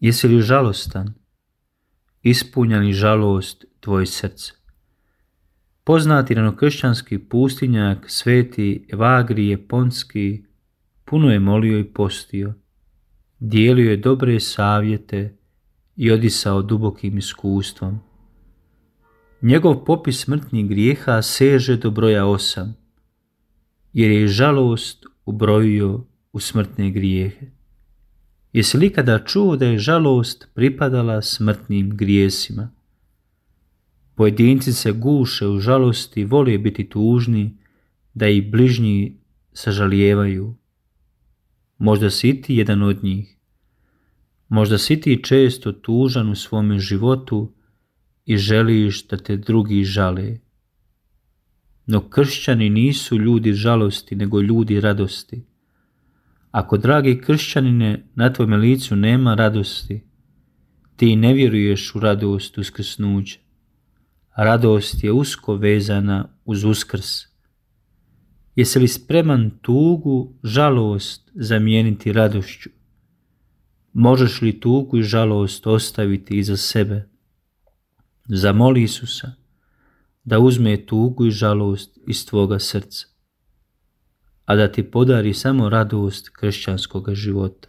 Jesi li žalostan? Ispunja li žalost tvoje srce? Poznati ranokršćanski pustinjak sveti Evagrije Ponski puno je molio i postio, dijelio je dobre savjete i odisao dubokim iskustvom. Njegov popis smrtnih grijeha seže do broja 8, jer je žalost ubrojio u smrtne grijehe. Jesi li ikada čuo da je žalost pripadala smrtnim grijesima? Pojedinci se guše u žalosti i vole biti tužni, da ih bližnji sažalijevaju. Možda si ti jedan od njih. Možda si ti često tužan u svome životu i želiš da te drugi žale. No kršćani nisu ljudi žalosti, nego ljudi radosti. Ako, dragi kršćanine, na tvome licu nema radosti, ti ne vjeruješ u radost uskrsnuća. Radost je usko vezana uz uskrs. Jesi li spreman tugu, žalost zamijeniti radošću? Možeš li tugu i žalost ostaviti iza sebe? Zamoli Isusa da uzme tugu i žalost iz tvoga srca, a da ti podari samo radost kršćanskoga života.